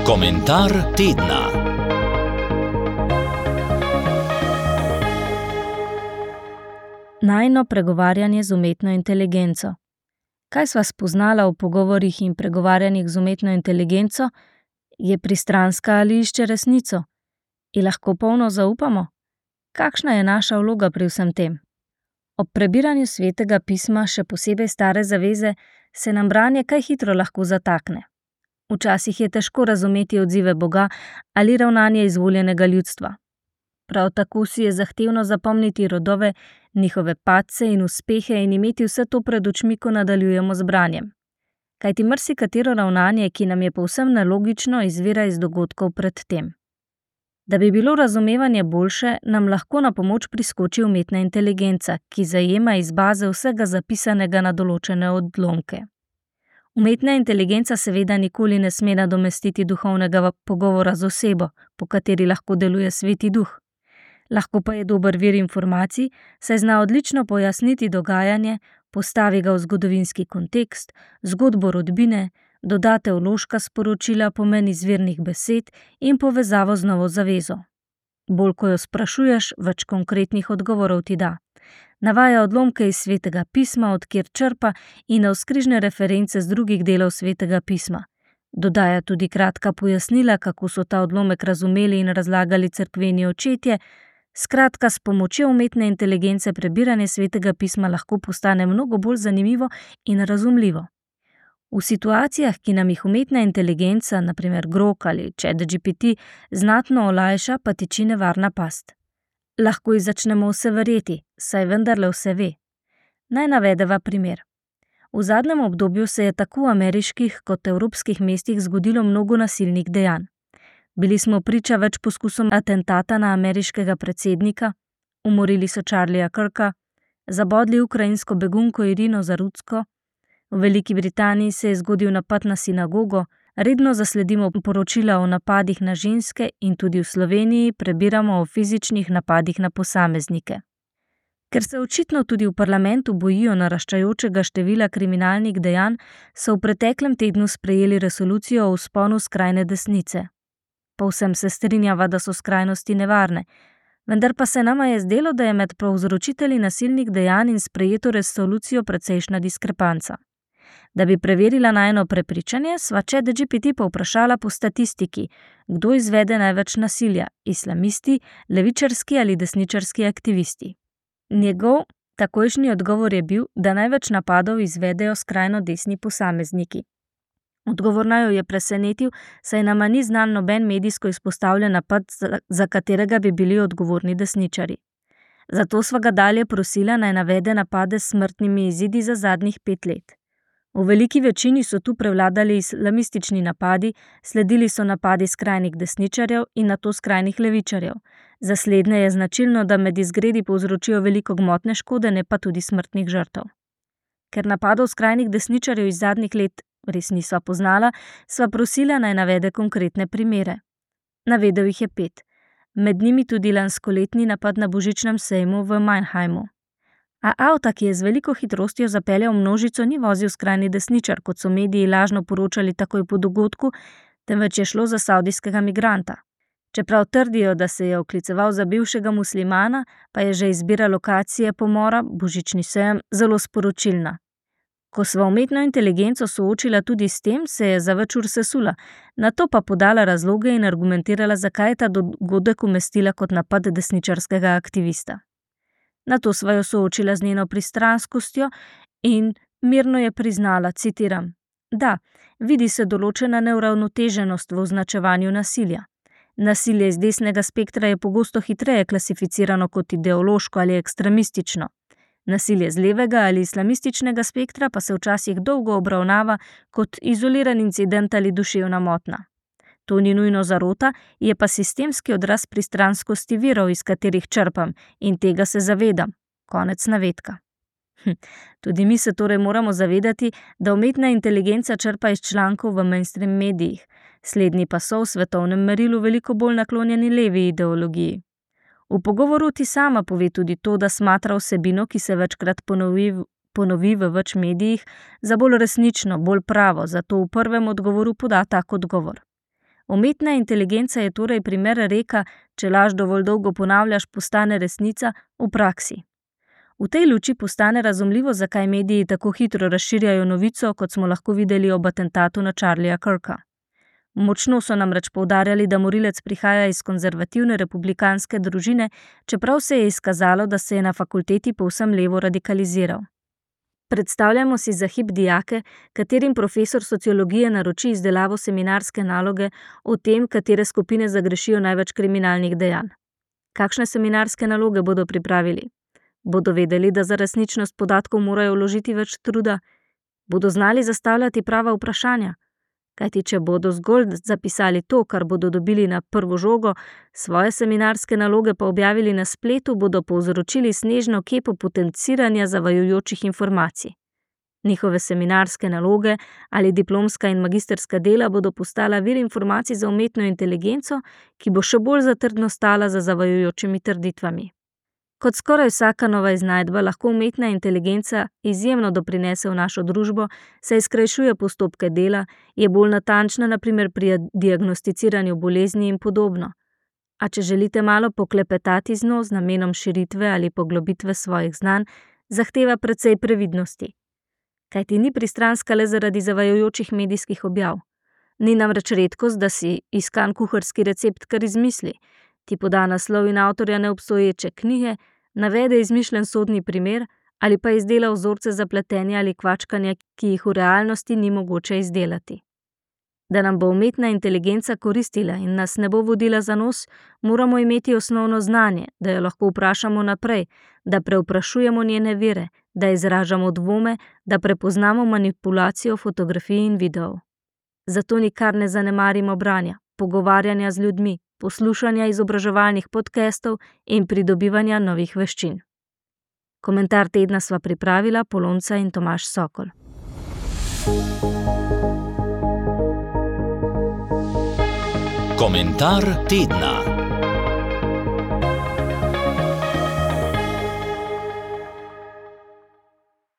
Komentar tedna. Najino pregovarjanje z umetno inteligenco. Kaj sva spoznala v pogovorih in pregovarjanjih z umetno inteligenco? Je pristranska ali išče resnico? Ji lahko polno zaupamo? Kakšna je naša vloga pri vsem tem? Ob prebiranju Svetega pisma, še posebej Stare zaveze, se nam branje kaj hitro lahko zatakne. Včasih je težko razumeti odzive Boga ali ravnanje izvoljenega ljudstva. Prav tako si je zahtevno zapomniti rodove, njihove padce in uspehe in imeti vse to pred očmi, ko nadaljujemo z branjem. Kajti marsikatero ravnanje, ki nam je povsem nelogično, izvira iz dogodkov pred tem. Da bi bilo razumevanje boljše, nam lahko na pomoč priskoči umetna inteligenca, ki zajema iz baze vsega zapisanega na določene odlomke. Umetna inteligenca seveda nikoli ne sme nadomestiti duhovnega pogovora z osebo, po kateri lahko deluje Sveti Duh. Lahko pa je dober vir informacij, saj zna odlično pojasniti dogajanje, postavi ga v zgodovinski kontekst, zgodbo rodbine, doda teološka sporočila, pomen izvirnih besed in povezavo z novo zavezo. Bolj ko jo sprašuješ, več konkretnih odgovorov ti da. Navaja odlomke iz Svetega pisma, od kjer črpa, in navzkrižne reference z drugih delov Svetega pisma. Dodaja tudi kratka pojasnila, kako so ta odlomek razumeli in razlagali cerkveni očetje. Skratka, s pomočjo umetne inteligence prebiranje Svetega pisma lahko postane mnogo bolj zanimivo in razumljivo. V situacijah, ki nam jih umetna inteligenca, na primer Grok ali ChatGPT, znatno olajša, pa tiči nevarna past. Lahko ji začnemo vse verjeti, saj vendarle vse ve. Naj navedeva primer. V zadnjem obdobju se je tako v ameriških kot evropskih mestih zgodilo mnogo nasilnih dejanj. Bili smo priča več poskusom atentata na ameriškega predsednika, umorili so Charlieja Kirka, zabodli ukrajinsko begunko Irino Zarutsko, v Veliki Britaniji se je zgodil napad na sinagogo, redno zasledimo poročila o napadih na ženske in tudi v Sloveniji prebiramo o fizičnih napadih na posameznike. Ker se očitno tudi v parlamentu bojijo naraščajočega števila kriminalnih dejanj, so v preteklem tednu sprejeli resolucijo o vzponu skrajne desnice. Povsem se strinjava, da so skrajnosti nevarne, vendar pa se nama je zdelo, da je med povzročitelji nasilnih dejanj in sprejeto resolucijo precejšnja diskrepanca. Da bi preverila najino prepričanje, sva ChatGPT povprašala po statistiki, kdo izvede največ nasilja, islamisti, levičarski ali desničarski aktivisti. Njegov takojšnji odgovor je bil, da največ napadov izvedejo skrajno desni posamezniki. Odgovor naju je presenetil, saj nama ni znan noben medijsko izpostavljen napad, za katerega bi bili odgovorni desničarji. Zato sva ga dalje prosila, naj navede napade s smrtnimi izidi za zadnjih 5 let. V veliki večini so tu prevladali islamistični napadi, sledili so napadi skrajnih desničarjev in nato skrajnih levičarjev. Za slednje je značilno, da med izgredi povzročijo veliko gmotne škode, ne pa tudi smrtnih žrtev. Ker napadov skrajnih desničarjev iz zadnjih let res nisva poznala, sva prosila, naj navede konkretne primere. Navedel jih je 5. Med njimi tudi lanskoletni napad na božičnem sejmu v Mannheimu. A avta, ki je z veliko hitrostjo zapeljal množico, ni vozil skrajni desničar, kot so mediji lažno poročali takoj po dogodku, temveč je šlo za savdijskega migranta. Čeprav trdijo, da se je okliceval za bivšega muslimana, pa je že izbira lokacije pomora, božični sejem, zelo sporočilna. Ko sva umetno inteligenco soočila tudi s tem, se je za več ur sesula, nato pa podala razloge in argumentirala, zakaj je ta dogodek umestila kot napad desničarskega aktivista. Nato sva jo soočila z njeno pristranskostjo in mirno je priznala, citiram: "Da, vidi se določena neuravnoteženost v označevanju nasilja. Nasilje iz desnega spektra je pogosto hitreje klasificirano kot ideološko ali ekstremistično. Nasilje z levega ali islamističnega spektra pa se včasih dolgo obravnava kot izoliran incident ali duševna motnja. To ni nujno zarota, je pa sistemski odraz pristranskosti virov, iz katerih črpam, in tega se zavedam." Konec navedka. Tudi mi se torej moramo zavedati, da umetna inteligenca črpa iz člankov v mainstream medijih, slednji pa so v svetovnem merilu veliko bolj naklonjeni levi ideologiji. V pogovoru ti sama pove tudi to, da smatra vsebino, ki se večkrat ponovi v več medijih, za bolj resnično, bolj pravo, zato v prvem odgovoru poda tak odgovor. Umetna inteligenca je torej primer reka, če laž dovolj dolgo ponavljaš, postane resnica v praksi. V tej luči postane razumljivo, zakaj mediji tako hitro razširjajo novico, kot smo lahko videli ob atentatu na Charlieja Kirka. Močno so namreč poudarjali, da morilec prihaja iz konzervativne republikanske družine, čeprav se je izkazalo, da se je na fakulteti povsem levo radikaliziral. Predstavljamo si za hip dijake, katerim profesor sociologije naroči izdelavo seminarske naloge o tem, katere skupine zagrešijo največ kriminalnih dejanj. Kakšne seminarske naloge bodo pripravili? Bodo vedeli, da za resničnost podatkov morajo vložiti več truda? Bodo znali zastavljati prava vprašanja? Kajti če bodo zgolj zapisali to, kar bodo dobili na prvo žogo, svoje seminarske naloge pa objavili na spletu, bodo povzročili snežno kepo potenciranja zavajajočih informacij. Njihove seminarske naloge ali diplomska in magisterska dela bodo postala vir informacij za umetno inteligenco, ki bo še bolj zatrdno stala za zavajajočimi trditvami. Kot skoraj vsaka nova iznajdba lahko umetna inteligenca izjemno doprinese v našo družbo, saj skrajšuje postopke dela, je bolj natančna na primer pri diagnosticiranju bolezni in podobno. A če želite malo poklepetati z njo z namenom širitve ali poglobitve svojih znanj, zahteva precej previdnosti. Kajti ni pristranska le zaradi zavajajočih medijskih objav. Ni namreč redkost, da si iskan kuharski recept kar izmisli, ti poda naslov in avtorja neobstoječe knjige, navede izmišljen sodni primer ali pa izdela vzorce za pletenje ali kvačkanje, ki jih v realnosti ni mogoče izdelati. Da nam bo umetna inteligenca koristila in nas ne bo vodila za nos, moramo imeti osnovno znanje, da jo lahko vprašamo naprej, da prevprašujemo njene vire, da izražamo dvome, da prepoznamo manipulacijo fotografij in videov. Zato nikar ne zanemarimo branja, pogovarjanja z ljudmi, poslušanja izobraževalnih podcastov in pridobivanja novih veščin. Komentar tedna sva pripravila Polonca in Tomaž Sokol. Komentar tedna.